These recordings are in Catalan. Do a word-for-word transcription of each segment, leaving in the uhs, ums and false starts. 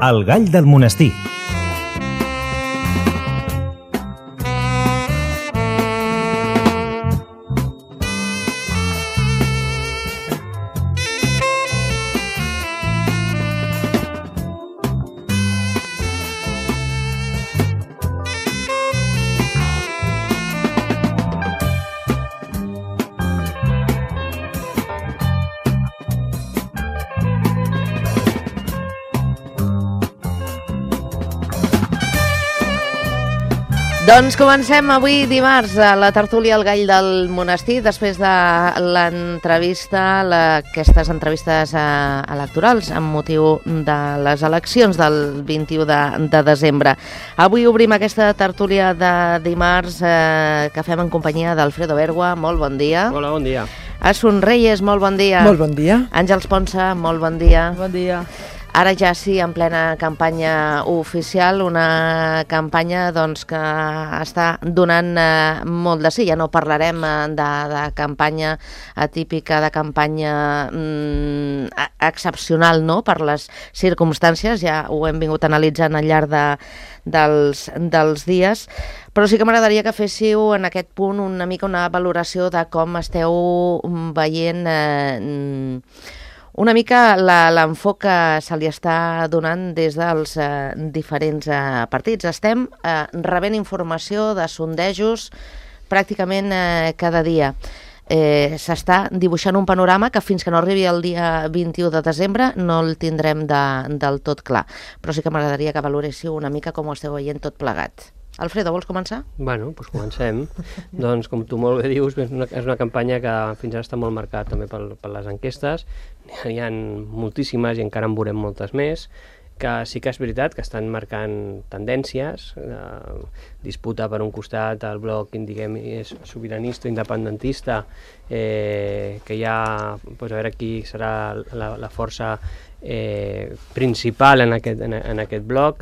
El gall del monestir. Doncs comencem avui dimarts a la tertúlia al Gall del Monestir, després de l'entrevista, la, aquestes entrevistes eh, electorals amb motiu de les eleccions del vint-i-u de, de desembre. Avui obrim aquesta tertúlia de dimarts eh, que fem en companyia d'Alfredo Bergua. Molt bon dia. Hola, bon dia. Asun Reyes, molt bon dia. Molt bon dia. Àngels Ponsa, molt bon dia. Bon dia. Ara ja sí, en plena campanya oficial, una campanya doncs, que està donant eh, molt de sí. Ja no parlarem eh, de, de campanya atípica, de campanya mm, excepcional, no?, per les circumstàncies, ja ho hem vingut analitzant al llarg de, dels, dels dies, però sí que m'agradaria que féssiu en aquest punt una mica una valoració de com esteu veient eh, una mica l'enfoc que se li està donant des dels eh, diferents eh, partits. Estem eh, rebent informació de sondejos pràcticament eh, cada dia. Eh, s'està dibuixant un panorama que fins que no arribi el dia vint-i-u de desembre no el tindrem de, del tot clar. Però sí que m'agradaria que valoréssiu una mica com ho esteu veient tot plegat. Alfredo, vols començar? Bueno, doncs comencem. Doncs, com tu molt bé dius, és una, és una campanya que fins ara està molt marcada també per, per les enquestes. N'hi ha moltíssimes i encara en veurem moltes més, que sí que és veritat que estan marcant tendències. Eh, disputa per un costat el bloc, diguem, és sobiranista, independentista, eh, que ja, doncs, a veure qui serà la, la força Eh, principal en aquest, en, en aquest bloc.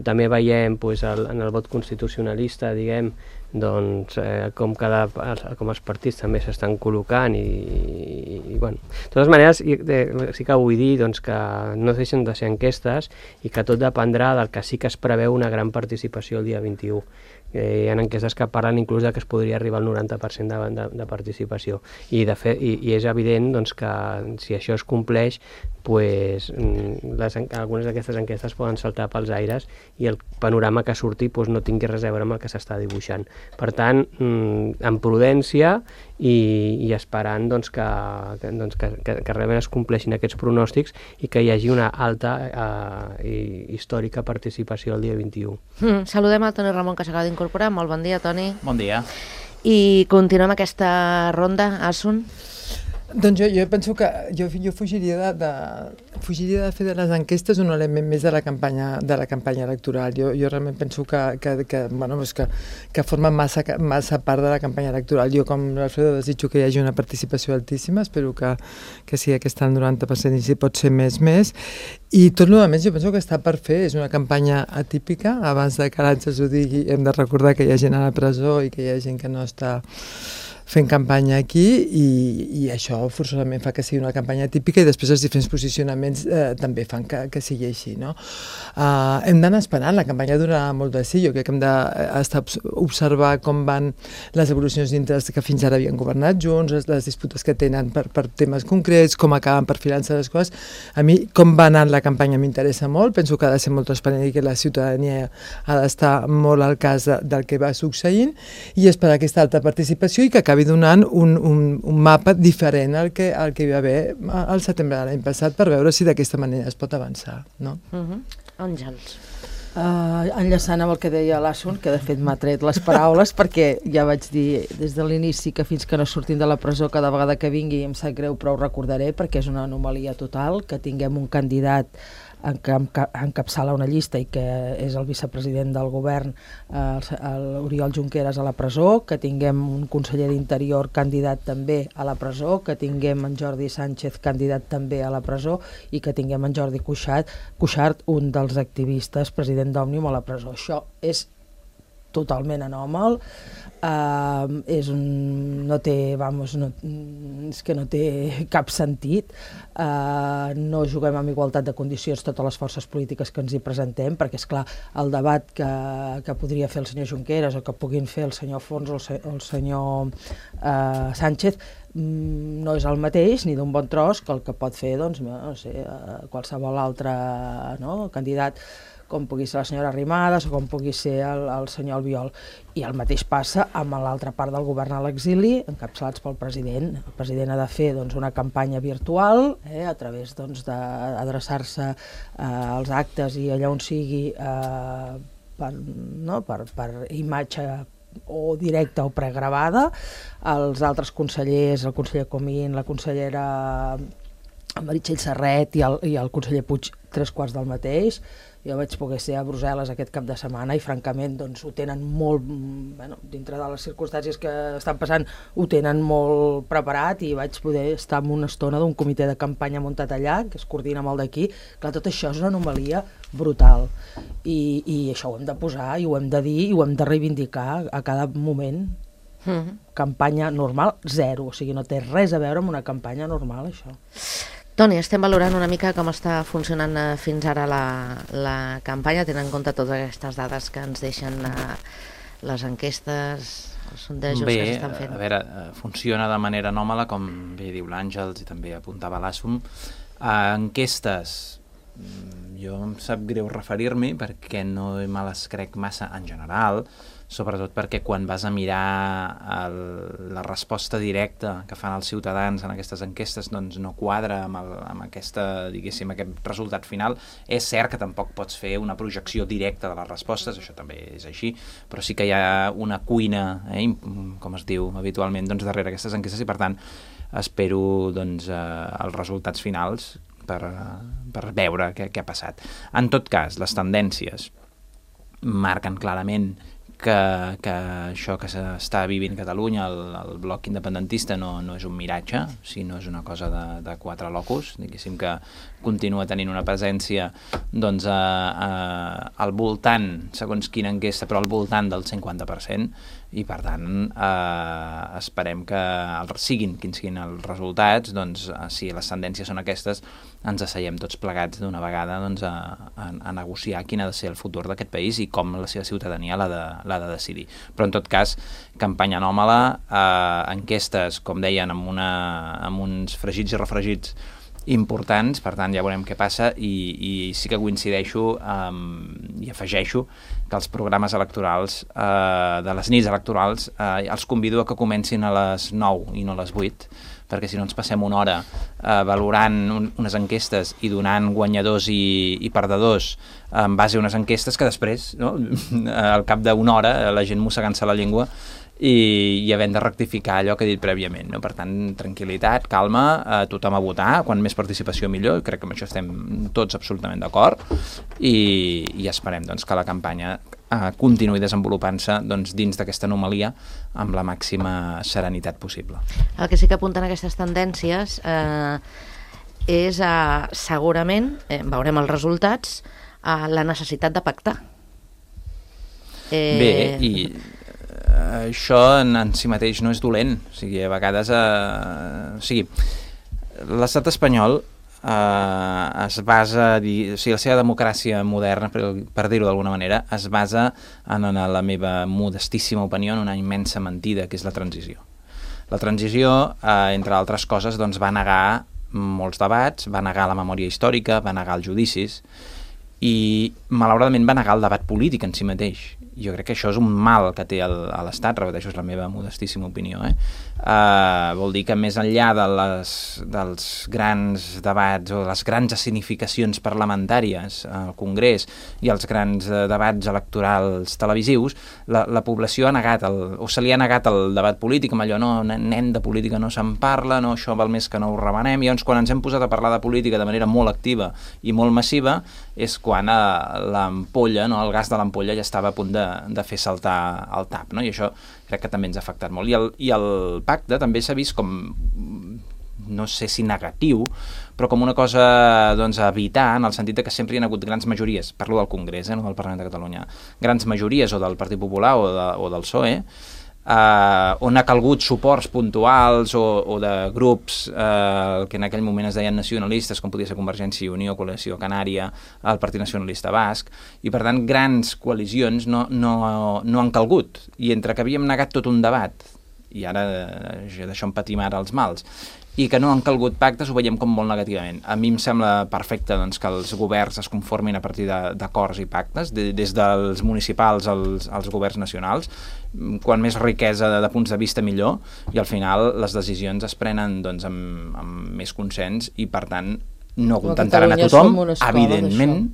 També veiem pues, el, en el vot constitucionalista, diguem, doncs, eh, com, cada, com els partits també s'estan col·locant i, i, i bueno. De totes maneres, eh, sí que vull dir doncs, que no deixen de ser enquestes i que tot dependrà del que sí que es preveu una gran participació el dia vint-i-u. Eh, hi ha enquestes que parlen inclús de que es podria arribar al noranta per cent de, de, de participació i, de fet, i, i és evident doncs, que si això es compleix, pues, les, algunes d'aquestes enquestes poden saltar pels aires i el panorama que surti pues, no tingui res a veure amb el que s'està dibuixant. Per tant, amb prudència i, i esperant doncs, que, que, doncs, que, que, que realment es compleixin aquests pronòstics i que hi hagi una alta eh, i històrica participació el dia vint-i-u. Mm, saludem al Toni Ramon, que s'acaba d'incorporar. Molt bon dia, Toni. Bon dia. I continuem aquesta ronda, Asun. Doncs jo, jo penso que jo, jo fugiria, de, de, fugiria de fer de les enquestes un element més de la campanya, de la campanya electoral. Jo, jo realment penso que, que, que, bueno, que, que forma massa, massa part de la campanya electoral. Jo, com l'Alfredo, desitjo que hi hagi una participació altíssima, espero que, que sigui aquesta al noranta per cent i si pot ser més, més. I tot el més jo penso que està per fer. És una campanya atípica. Abans de que l'Àngels ho digui, hem de recordar que hi ha gent a la presó i que hi ha gent que no està fent campanya aquí i, i això forçosament fa que sigui una campanya típica i després els diferents posicionaments eh, també fan que, que sigui així, no? Uh, hem d'anar esperant, la campanya durarà molt de sí, jo crec que hem d'estar observar com van les evolucions dintre que fins ara havien governat junts, les, les disputes que tenen per, per temes concrets, com acaben perfilant-se les coses. A mi, com va anar la campanya m'interessa molt, penso que ha de ser molt transparent i que la ciutadania ha d'estar molt al cas de, del que va succeint i esperar aquesta alta participació i que acabi donant un, un, un mapa diferent al que, al que hi va haver al setembre de l'any passat per veure si d'aquesta manera es pot avançar, no? Uh-huh. Àngels. Uh, enllaçant amb el que deia l'Asun, que de fet m'ha tret les paraules perquè ja vaig dir des de l'inici que fins que no surtin de la presó cada vegada que vingui em sap greu però ho recordaré perquè és una anomalia total que tinguem un candidat que encapçala una llista i que és el vicepresident del govern, l'Oriol Junqueras, a la presó, que tinguem un conseller d'Interior candidat també a la presó, que tinguem en Jordi Sánchez candidat també a la presó i que tinguem en Jordi Cuixart, Cuixart un dels activistes, president d'Òmnium, a la presó. Això és totalment anòmal. Uh, és un, no té, vamos, no, és que no té cap sentit. Uh, no juguem amb igualtat de condicions totes les forces polítiques que ens hi presentem, perquè, és clar, el debat que, que podria fer el senyor Junqueras o que puguin fer el senyor Fons o el, se, el senyor uh, Sánchez mm, no és el mateix ni d'un bon tros que el que pot fer, doncs, no sé, uh, qualsevol altre, no, candidat, com pugui ser la senyora Arrimadas o com pugui ser el, el senyor Albiol. I el mateix passa amb l'altra part del govern a l'exili, encapçalats pel president. El president ha de fer, doncs, una campanya virtual, eh, a través, doncs, d'adreçar-se eh, als actes i allà on sigui eh, per, no, per, per imatge o directa o pregravada. Els altres consellers, el conseller Comín, la consellera Meritxell Serret i el, i el conseller Puig, tres quarts del mateix. Jo vaig poder ser a Brussel·les aquest cap de setmana i, francament, doncs, ho tenen molt, bueno, dintre de les circumstàncies que estan passant, ho tenen molt preparat, i vaig poder estar en una estona d'un comitè de campanya muntat allà, que es coordina amb el d'aquí. Clar, tot això és una anomalia brutal, i, i això ho hem de posar, i ho hem de dir, i ho hem de reivindicar a cada moment. Mm-hmm. Campanya normal, zero, o sigui, no té res a veure amb una campanya normal, això. Toni, estem valorant una mica com està funcionant fins ara la, la campanya, tenint en compte totes aquestes dades que ens deixen uh, les enquestes, els sondejos bé, que s'estan fent. A veure, funciona de manera anòmala, com bé diu l'Àngels i també apuntava l'Assum. Uh, enquestes, jo em sap greu referir-m'hi perquè no me les crec massa en general, sobretot perquè quan vas a mirar el, la resposta directa que fan els ciutadans en aquestes enquestes, doncs no quadra amb, el, amb aquesta, diguéssim, aquest resultat final. És cert que tampoc pots fer una projecció directa de les respostes, això també és així, però sí que hi ha una cuina, eh, com es diu habitualment, doncs, darrere aquestes enquestes, i per tant espero, doncs, eh, els resultats finals per, per veure què, què ha passat. En tot cas, les tendències marquen clarament que, que això que s'està vivint a Catalunya, el, el bloc independentista, no, no és un miratge, sinó és una cosa de, de quatre locus, diguéssim, que continua tenint una presència, doncs, a, a, al voltant, segons quina enquesta, però al voltant del cinquanta per cent, i per tant eh, esperem que el, siguin quins siguin els resultats, doncs, si les tendències són aquestes, ens asseiem tots plegats d'una vegada, doncs, a, a, a negociar quin ha de ser el futur d'aquest país i com la seva ciutadania l'ha de, l'ha de decidir. Però en tot cas, campanya anòmala, eh, enquestes, com deien, amb, una, amb uns fregits i refregits importants, per tant ja veurem què passa, i, i sí que coincideixo um, i afegeixo que els programes electorals uh, de les nits electorals uh, els convido a que comencin a les nou i no a les vuit, perquè si no ens passem una hora uh, valorant un, unes enquestes i donant guanyadors i, i perdedors en base a unes enquestes que després, no, al cap d'una hora, la gent mossegant-se la llengua i, i havent de rectificar allò que he dit prèviament, no? Per tant, tranquil·litat, calma, eh, tothom a votar, quan més participació millor, crec que amb això estem tots absolutament d'acord, i, i esperem, doncs, que la campanya eh, continuï desenvolupant-se, doncs, dins d'aquesta anomalia amb la màxima serenitat possible. El que sí que apunten aquestes tendències eh, és eh, segurament, eh, veurem els resultats, eh, la necessitat de pactar. Eh... Bé, i això en, en si mateix no és dolent, o sigui, a vegades eh, o sigui, l'estat espanyol eh, es basa, o sigui, la seva democràcia moderna, per, per dir-ho d'alguna manera, es basa en, en la meva modestíssima opinió, en una immensa mentida, que és la transició. La transició, eh, entre altres coses, doncs, va negar molts debats, va negar la memòria històrica, va negar els judicis, i malauradament va negar el debat polític en si mateix. Jo crec que això és un mal que té el, a l'Estat, repeteixo, és la meva modestíssima opinió, eh? Uh, vol dir que més enllà de les, dels grans debats o les grans escenificacions parlamentàries al Congrés i els grans uh, debats electorals televisius, la, la població ha negat, el, o se li ha negat el debat polític, amb allò, no, nen, de política no se'n parla, no, això val més que no ho remenem, i llavors quan ens hem posat a parlar de política de manera molt activa i molt massiva, és quan uh, l'ampolla, no, el gas de l'ampolla ja estava a punt de, de fer saltar el tap, no? I això crec que també ens ha afectat molt. I el, i el pacte també s'ha vist com no sé si negatiu, però com una cosa doncs, a evitar, en el sentit que sempre hi ha hagut grans majories, parlo del Congrés, eh, no del Parlament de Catalunya, grans majories o del Partit Popular o, de, o del P S O E, eh, on ha calgut suports puntuals o, o de grups eh, que en aquell moment es deien nacionalistes, com podia ser Convergència i Unió, Coalició Canària, el Partit Nacionalista Basc, i per tant grans coalicions no, no, no han calgut, i entre que havíem negat tot un debat, i ara d'això en patim ara els mals, i que no han calgut pactes, ho veiem com molt negativament. A mi em sembla perfecte doncs, que els governs es conformin a partir d'acords i pactes, de, des dels municipals als, als governs nacionals, quan més riquesa de, de punts de vista millor, i al final les decisions es prenen doncs, amb, amb més consens i per tant no contentaran a tothom, evidentment,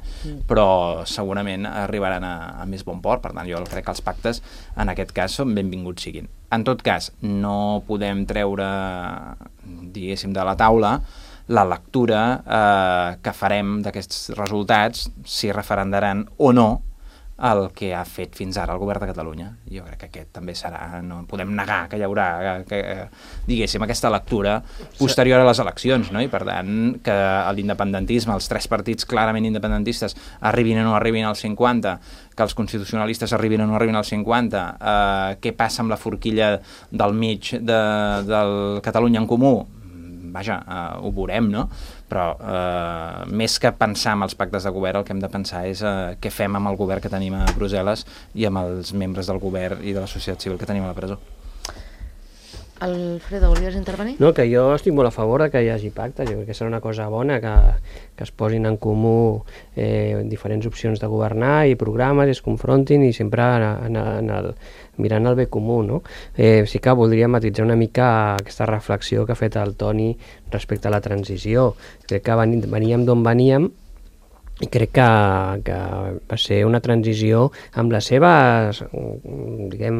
però segurament arribaran a, a més bon port. Per tant, jo crec que els pactes, en aquest cas, són benvinguts siguin. En tot cas, no podem treure, diguéssim, de la taula la lectura eh, que farem d'aquests resultats, si referendaran o no el que ha fet fins ara el govern de Catalunya. Jo crec que aquest també serà, no podem negar que hi haurà, que, que, diguéssim, aquesta lectura posterior a les eleccions, no? I per tant, que l'independentisme, els tres partits clarament independentistes arribin o no arribin al cinquanta, que els constitucionalistes arribin o no arribin al cinquanta, eh, què passa amb la forquilla del mig de, del Catalunya en Comú? Vaja, uh, ho veurem, no? Però uh, més que pensar en els pactes de govern, el que hem de pensar és uh, què fem amb el govern que tenim a Brussel·les i amb els membres del govern i de la societat civil que tenim a la presó. Alfredo, volies intervenir? No, que jo estic molt a favor de que hi hagi pactes. Jo crec que serà una cosa bona que, que es posin en comú eh, diferents opcions de governar i programes, i es confrontin i sempre en, en, en el, mirant el bé comú, no? Eh, sí que voldria matitzar una mica aquesta reflexió que ha fet el Toni respecte a la transició. Crec que veníem d'on veníem i crec que, que va ser una transició amb les seves, diguem,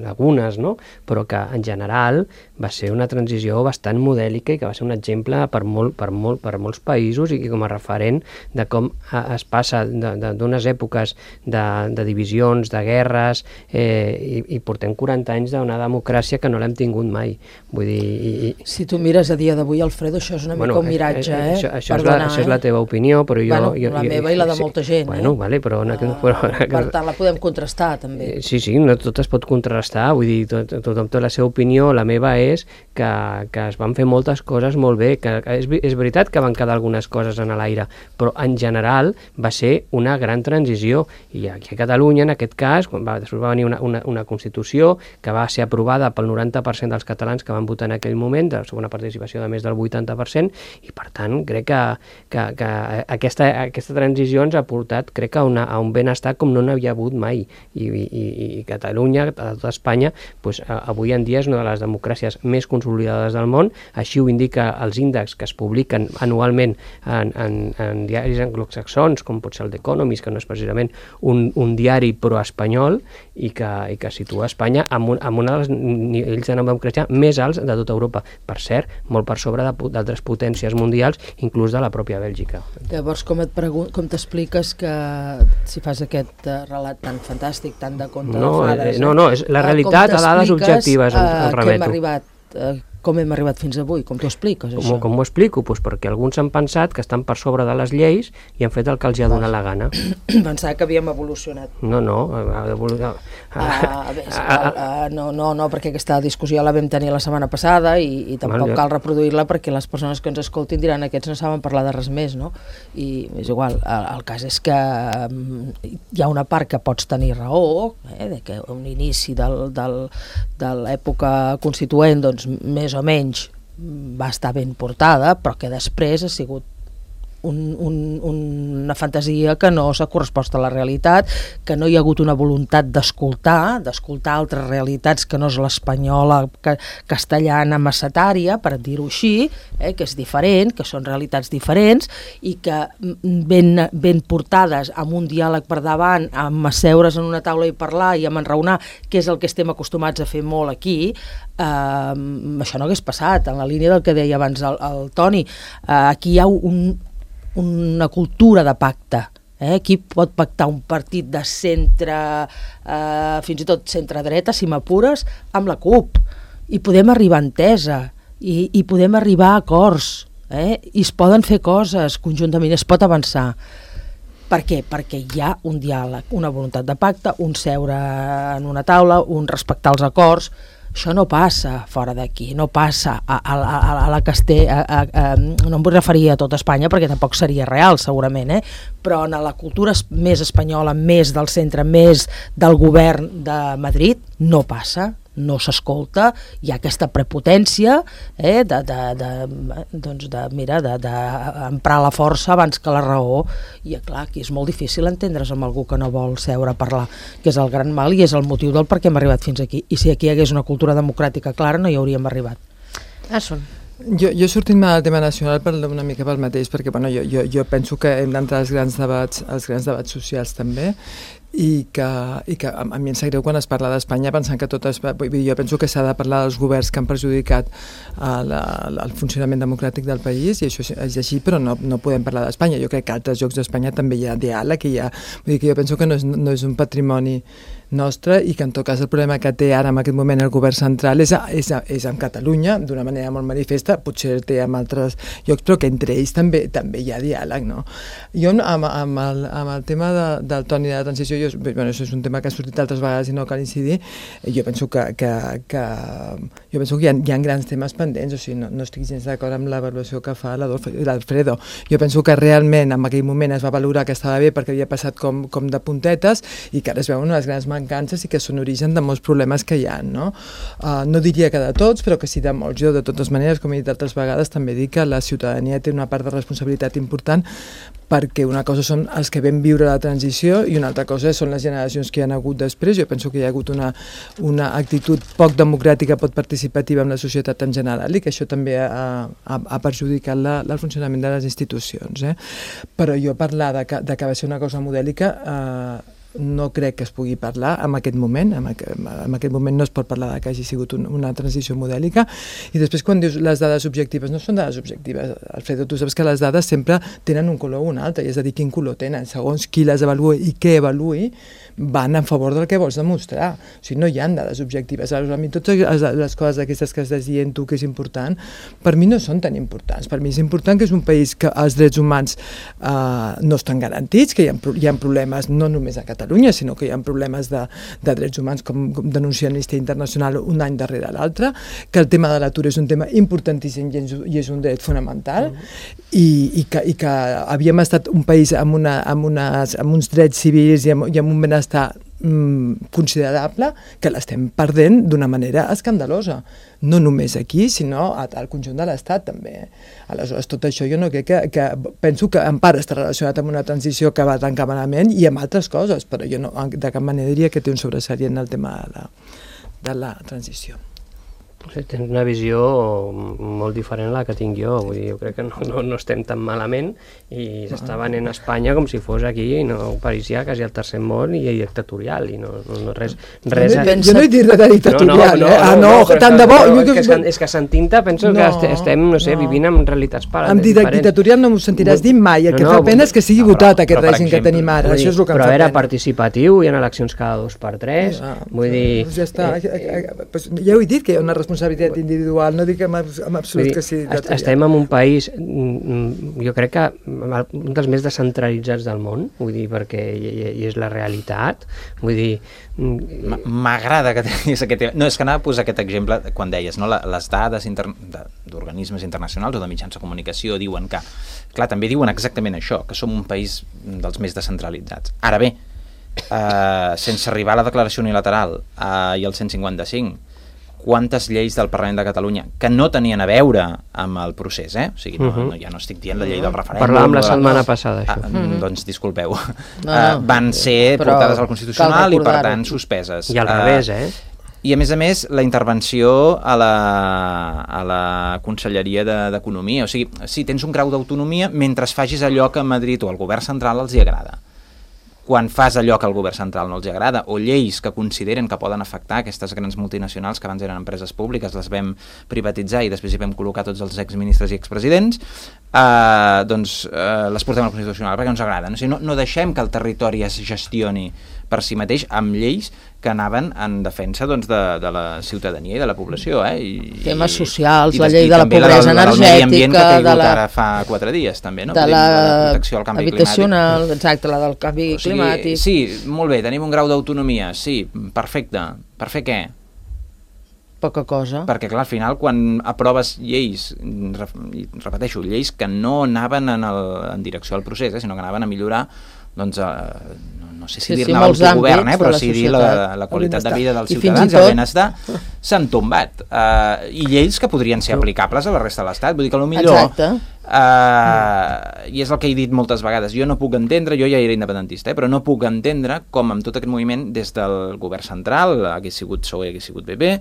lagunes, no? Però que en general va ser una transició bastant modèlica i que va ser un exemple per, molt, per, molt, per molts països i com a referent de com es passa d'unes èpoques de, de divisions, de guerres, eh, i, i portem quaranta anys d'una democràcia que no l'hem tingut mai. Vull dir... I, i... Si tu mires a dia d'avui, Alfredo, això és una bueno, mica un miratge, eh? Això, això, és la, això és la teva opinió, però jo... Bueno, jo, la jo, meva i la de molta gent, bueno, eh? Vale, però una, uh, però, per tant, la podem contrastar, també. Sí, sí, no tot es pot contrastar, vull dir, tot, tothom té la seva opinió, la meva és que, que es van fer moltes coses molt bé, que, que és, és veritat que van quedar algunes coses en l'aire, però en general va ser una gran transició, i aquí a Catalunya, en aquest cas, quan va, després va venir una, una, una Constitució que va ser aprovada pel noranta per cent dels catalans que van votar en aquell moment, de segona participació de més del vuitanta per cent, i per tant crec que, que, que aquesta, aquesta transició ens ha portat, crec que a, una, a un benestar com no n'havia hagut mai, i, i, i Catalunya, a tota Espanya, pues, avui en dia és una de les democràcies més consolidades del món, així ho indica els índexs que es publiquen anualment en, en, en diaris anglosaxons, com pot ser el The Economist, que no és precisament un, un diari pro-espanyol, i que, i que situa Espanya amb un, amb un dels nivells de democràcia més alts de tota Europa, per cert, molt per sobre d'altres potències mundials, inclús de la pròpia Bèlgica. Llavors, com et pregun- com t'expliques que si fas aquest uh, relat tan fantàstic, tan de conte no, de fades... Eh, no, no, és la realitat a dades objectives, uh, on, on remeto. Que hem arribat, uh, com hem arribat fins avui? Com t'ho expliques, com, això? Com ho explico? Pues perquè alguns han pensat que estan per sobre de les lleis i han fet el que els ha donat la gana. Pensava que havíem evolucionat. No, no. Ha evolucionat. Uh, bé, uh, no, no, no, perquè aquesta discussió la vam tenir la setmana passada i, i tampoc cal reproduir-la perquè les persones que ens escoltin diran aquests no saben parlar de res més, no? I és igual, el, el cas és que um, hi ha una part que pots tenir raó, eh, de que un inici del, del, de l'època constituent, doncs, més o menys va estar ben portada, però que després ha sigut un, un, una fantasia que no s'ha correspost a la realitat, que no hi ha hagut una voluntat d'escoltar, d'escoltar altres realitats que no és l'espanyola que, castellana massetària, per dir-ho així, eh, que és diferent, que són realitats diferents i que ben, ben portades amb un diàleg per davant, amb asseure's en una taula i parlar i amb enraonar, que és el que estem acostumats a fer molt aquí, eh, això no hagués passat, en la línia del que deia abans el, el Toni. Eh, aquí hi ha un una cultura de pacte. Eh? Qui pot pactar un partit de centre, eh, fins i tot centre-dreta, si m'apures, amb la CUP. I podem arribar a entesa. i, i podem arribar a acords, eh? I es poden fer coses conjuntament, es pot avançar. Per què? Perquè hi ha un diàleg, una voluntat de pacte, un seure en una taula, un respectar els acords. Això no passa fora d'aquí, no passa a, a, a, a la Castella, a, a, a, no em vull referir a tota Espanya perquè tampoc seria real segurament, eh? Però en la cultura més espanyola, més del centre, més del govern de Madrid, no passa, no s'escolta, hi ha aquesta prepotència eh, de, de, de, doncs de, mira, de, de emprar la força abans que la raó, i clar, aquí és molt difícil entendre's amb algú que no vol seure a parlar, que és el gran mal i és el motiu del per què hem arribat fins aquí, i si aquí hi hagués una cultura democràtica clara no hi hauríem arribat. Asun. Jo, jo sortint-me del tema nacional per una mica pel mateix, perquè bueno, jo, jo, jo penso que hem d'entrar als grans debats, als grans debats socials també, i que, i que a, a mi em sap greu quan es parla d'Espanya pensant que totes... Jo penso que s'ha de parlar dels governs que han perjudicat uh, la, la, el funcionament democràtic del país, i això és així, però no, no podem parlar d'Espanya. Jo crec que a altres llocs d'Espanya també hi ha diàleg, hi ha, vull dir que jo penso que no és, no és un patrimoni nostre, i que en tot cas el problema que té ara en aquest moment el govern central és, a, és, a, és amb Catalunya, d'una manera molt manifesta, potser el té en altres llocs, però que entre ells també també hi ha diàleg, no? Jo amb, amb, el, amb el tema de, del Toni de la transició, jo, bueno, això és un tema que ha sortit altres vegades i no cal incidir, jo penso que, que, que, jo penso que hi ha, hi ha grans temes pendents, o sigui, no, no estic gens d'acord amb l'avaluació que fa l'Alfredo. Jo penso que realment en aquell moment es va valorar que estava bé perquè havia passat com, com de puntetes, i que ara es veuen unes grans mancances i que són origen de molts problemes que hi ha, no? Uh, no diria que de tots, però que sí de molts. Jo, de totes maneres, com he dit altres vegades, també dic que la ciutadania té una part de responsabilitat important, perquè una cosa són els que vam viure la transició i una altra cosa són les generacions que hi ha hagut després. Jo penso que hi ha hagut una, una actitud poc democràtica, poc participativa amb la societat en general, i que això també ha, ha, ha perjudicat la, el funcionament de les institucions. Eh? Però jo parlar de que, de que va ser una cosa modèlica... Eh, no crec que es pugui parlar en aquest moment, en aquest moment no es pot parlar de que hagi sigut un, una transició modèlica. I després quan dius les dades objectives, no són dades objectives, Alfredo, tu saps que les dades sempre tenen un color o un altre, i és a dir, quin color tenen, segons qui les avaluï i què avaluï, van en favor del que vols demostrar. O sigui, no hi ha dades objectives. A mi totes les coses aquestes que estàs dient tu que és important, per mi no són tan importants. Per mi és important que és un país que els drets humans eh, no estan garantits, que hi ha, hi ha problemes no només a Catalunya, sinó que hi ha problemes de, de drets humans, com, com denuncia Amnistia Internacional un any darrere l'altre, que el tema de l'atur és un tema importantíssim i és, i és un dret fonamental, mm. i, i, que, i que havíem estat un país amb, una, amb, unes, amb uns drets civils i amb, i amb un benestar mm, considerable, que l'estem perdent d'una manera escandalosa. No només aquí, sinó al conjunt de l'Estat també. Aleshores, tot això jo no crec que, que penso que en part està relacionat amb una transició que va tan malament i amb altres coses, però jo no, de cap manera diria que té un sobresalient el tema de la, de la transició. Sí, tens una visió molt diferent a la que tinc jo, vull dir, jo crec que no, no, no estem tan malament i s'està venent a Espanya com si fos aquí, no, parisia quasi el tercer món i dictatorial, i no, no, no res... res jo, no, jo no he dit de dictatorial, no, no, no, eh? Ah, no, no tant de bo... No, és, que, és que sentint-te penso no, que estem, no sé, no. vivint en realitats diferents. Amb dictatorial no m'ho sentiràs dir mai, el que no, no, fa pena és que sigui no, votat però, aquest però, règim exemple, que tenim ara, dir, això és el que em però fa era pena. participatiu, hi ha eleccions cada dos per tres, ah, vull dir... Ja està, eh, ja ho he dit que hi ha una responsabilitat individual, no dic en absolut que sí. Estem en un país, jo crec que un dels més descentralitzats del món, vull dir, perquè i és la realitat, vull dir... M'agrada que tinguis aquest... No, és que anava a posar aquest exemple quan deies, no? Les dades inter... d'organismes internacionals o de mitjans de comunicació diuen que... Clar, també diuen exactament això, que som un país dels més descentralitzats. Ara bé, eh, sense arribar a la declaració unilateral eh, i el cent cinquanta-cinc, quantes lleis del Parlament de Catalunya que no tenien a veure amb el procés, eh? O sigui, no, no, ja no estic dient la llei del referèndum. Parlàvem la setmana passada, això. Ah, mm-hmm. Doncs disculpeu. No, uh, van ser portades al Constitucional i, per tant, suspeses. I al uh, revés, eh? I, a més a més, la intervenció a la, a la Conselleria d'Economia. O sigui, sí, tens un grau d'autonomia mentre facis allò que a Madrid o al govern central els hi agrada. Quan fas allò que al govern central no els agrada, o lleis que consideren que poden afectar aquestes grans multinacionals que abans eren empreses públiques, les vam privatitzar i després hi vam col·locar tots els exministres i expresidents, eh, doncs eh, les portem al Constitucional perquè no ens agraden. O sigui, no, no deixem que el territori es gestioni per si mateix amb lleis que anaven en defensa doncs, de, de la ciutadania i de la població. Eh? I, temes socials, i, la i llei de la pobresa la, energètica, que ha de la, ara fa quatre dies, també, no? de la, la protecció al canvi habitacional, climàtic. Exacte, la del canvi o sigui, climàtic. Sí, molt bé, tenim un grau d'autonomia, sí, perfecte. Per fer què? Poca cosa. Perquè, clar, al final, quan aproves lleis, repeteixo, lleis que no anaven en, el, en direcció al procés, eh, sinó que anaven a millorar, doncs, eh, no, no sé si sí, dir-ne sí, l'autogovern, eh, però la sí dir la, la qualitat de vida dels I ciutadans, i el benestar, s'han tombat. Uh, I lleis que podrien ser aplicables a la resta de l'Estat. Vull dir que potser... Exacte. Uh, i és el que he dit moltes vegades, jo no puc entendre, jo ja era independentista, eh, però no puc entendre com amb tot aquest moviment des del govern central, hagués sigut P S O E, hagués sigut P P,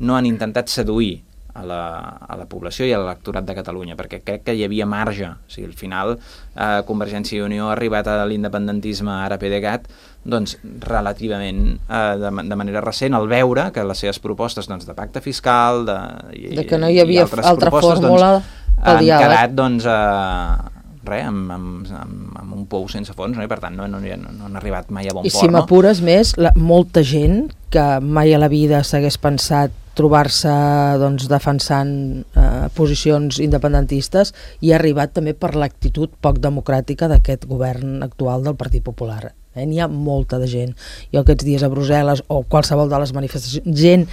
no han intentat seduir a la, a la població i a l'electorat de Catalunya, perquè crec que hi havia marge. O sigui, al final eh, Convergència i Unió ha arribat a l'independentisme ara PDeCAT doncs, relativament eh, de, de manera recent, al veure que les seves propostes doncs, de pacte fiscal de, i, de que no hi havia altra fórmula doncs, pel han diàleg. quedat doncs, eh, res, amb, amb, amb, amb un pou sense fons, no? I per tant no, no, no, no han arribat mai a bon I port. I si m'apures no? més, la, molta gent que mai a la vida s'hagués pensat trobar-se doncs, defensant eh, posicions independentistes i ha arribat també per l'actitud poc democràtica d'aquest govern actual del Partit Popular. Eh? N'hi ha molta de gent. Jo aquests dies a Brussel·les o qualsevol de les manifestacions, gent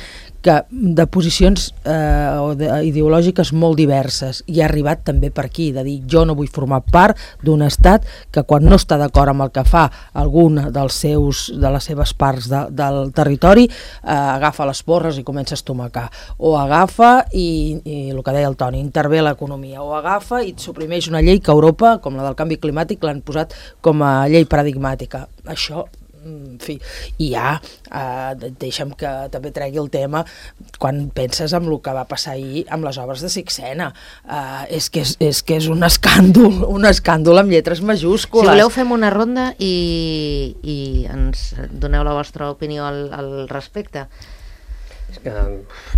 que de posicions eh, o de, ideològiques molt diverses i ha arribat també per aquí, de dir jo no vull formar part d'un estat que quan no està d'acord amb el que fa alguna dels seus, de les seves parts de, del territori eh, agafa les porres i comença a estomacar, o agafa i, i el que deia el Toni, intervé l'economia, o agafa i suprimeix una llei que a Europa, com la del canvi climàtic, l'han posat com a llei paradigmàtica. Això, en fi, i ja eh, deixa'm que també tregui el tema quan penses en el que va passar ahir amb les obres de Sixena. Eh, és, que és, és que és un escàndol, un escàndol amb lletres majúscules. Si voleu fem una ronda i, i ens doneu la vostra opinió al, al respecte. Que...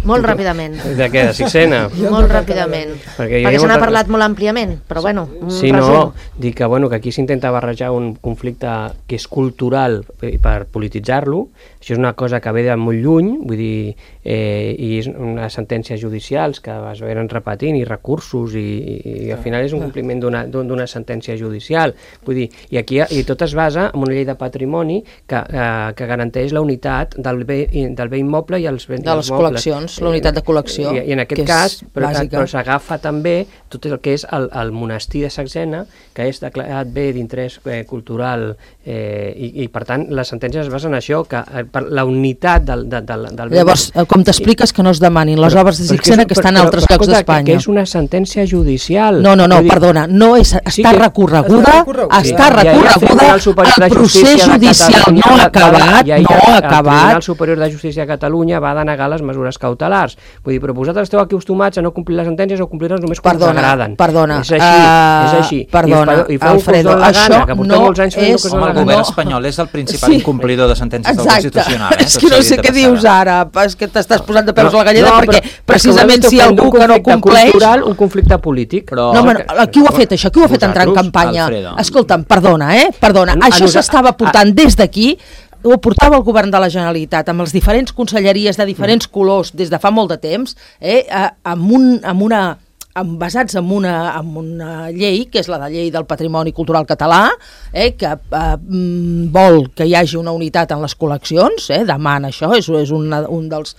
Molt ràpidament. De què? De Sixena? Molt ràpidament. Perquè, Perquè se n'ha parlat molt àmpliament, però bueno, un sí, resum. no, dic que, bueno, que aquí s'intenta barrejar un conflicte que és cultural per polititzar-lo. Això és una cosa que ve de molt lluny, vull dir, eh, i és unes sentències judicials que es venen repetint i recursos i, i, i al final és un compliment d'una sentència judicial. Vull dir, i aquí i tot es basa en una llei de patrimoni que, eh, que garanteix la unitat del bé, del bé immoble i els béns de les col·leccions, la unitat de col·lecció, I, i en aquest cas, però, però s'agafa també tot el que és el, el monestir de Sixena, que és declarat bé d'interès eh, cultural, eh, i, i per tant les sentències es basen en això, que eh, per la unitat del, del, del, del Llavors, com t'expliques que no es demanin les però, obres de Sixena que estan a altres però, llocs d'Espanya? Que és una sentència judicial. No, no, no, dir, perdona, no és, està sí que, recorreguda, està recorreguda, el procés judicial no ha acabat, no ha acabat. El Tribunal Superior de Justícia de Catalunya va denegar les mesures cautelars. Vull dir, però vosaltres esteu aquí acostumats a no complir les sentències o complir-les només quan us agraden. Perdona, és així, uh, és així. Perdona, I, i Alfredo, això gana, no és... Home, el govern espanyol és el principal sí. incomplidor de sentències del Constitucional. Eh? És que no sé què dius ara, és que t'estàs posant de peus no, a la galleda no, perquè però, precisament si algú que no compleix... Cultural, un conflicte polític. Però... No, home, qui ho ha fet això? Qui ho ha fet entrar en campanya? Escolta'm, perdona, eh? Perdona, això s'estava portant des d'aquí, ho portava el govern de la Generalitat amb les diferents conselleries de diferents colors des de fa molt de temps, eh, amb, un, amb una... basats en una, en una llei, que és la de llei del patrimoni cultural català, eh, que eh, vol que hi hagi una unitat en les col·leccions, eh, demana això, és, és una, un dels...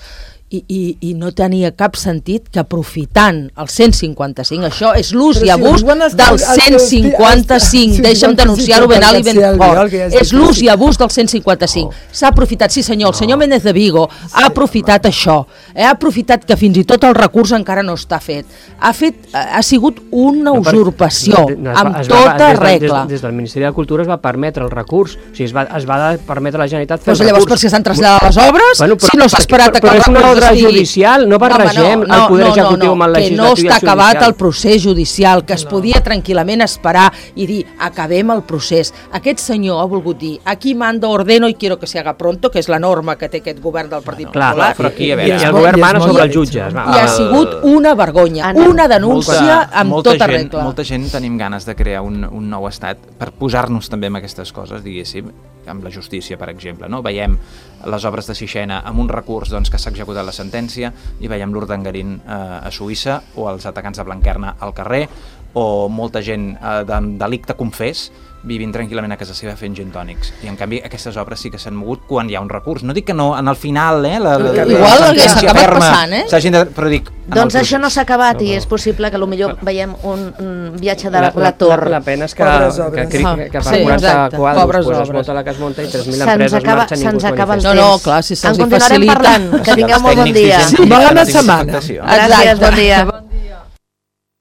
I, i, i no tenia cap sentit que aprofitant el cent cinquanta-cinc, això és l'ús i abús del cent cinquanta-cinc, deixa'm denunciar-ho ben alt i ben fort, és l'ús i abús del cent cinquanta-cinc, s'ha aprofitat, sí senyor, el senyor Méndez de Vigo ha aprofitat això, eh, ha aprofitat que fins i tot el recurs encara no està fet, ha fet, ha sigut una usurpació, amb tota regla. Des del Ministeri de Cultura es va permetre el recurs, o sigui, es va, es va permetre a la Generalitat fer el recurs. Llavors per si s'han traslladat les obres, si no s'ha esperat a que el recurs ordre estigui... judicial, no barregem no, no, el poder no, executiu no, no, amb el legislatiu i el que no està judicial. acabat el procés judicial, que es no. podia tranquil·lament esperar i dir, acabem el procés. Aquest senyor ha volgut dir, aquí mando, ordeno i quiero que se haga pronto, que és la norma que té aquest govern del Partit Clar, Popular. però aquí, a I, veure, i el govern mana sobre els jutges. Va. I ha sigut una vergonya, una denúncia molta, amb molta tota gent, regla. Molta gent tenim ganes de crear un, un nou estat per posar-nos també amb aquestes coses, diguéssim, amb la justícia, per exemple, no? Veiem les obres de Sixena amb un recurs doncs, que s'ha executat la sentència i veiem l'Urdangarín eh, a Suïssa o els atacants de Blanquerna al carrer o molta gent eh, de delicte confés vivint tranquil·lament a casa seva fent gin tònics. I en canvi aquestes obres sí que s'han mogut quan hi ha un recurs. No dic que no, en el final, eh, la, la, Igual la hagués sentència acabat ferma passant, eh? s'hagin de... Però dic... Doncs això no s'ha acabat i és possible que potser veiem un, un viatge de la, la torre. La, la pena és que, que, que, que, que per Sí, quaranta exacte. quadres Pobres pues, es obres. vota la que es munta i tres mil Se'ns empreses acaba, marxen i se'ns ningú es acaba el manifesta. No, temps. no, clar, si se'ls en hi continuarem facilita. parlant. Que tingueu molt bon dia. Sí, Gràcies, bon dia. Exacte.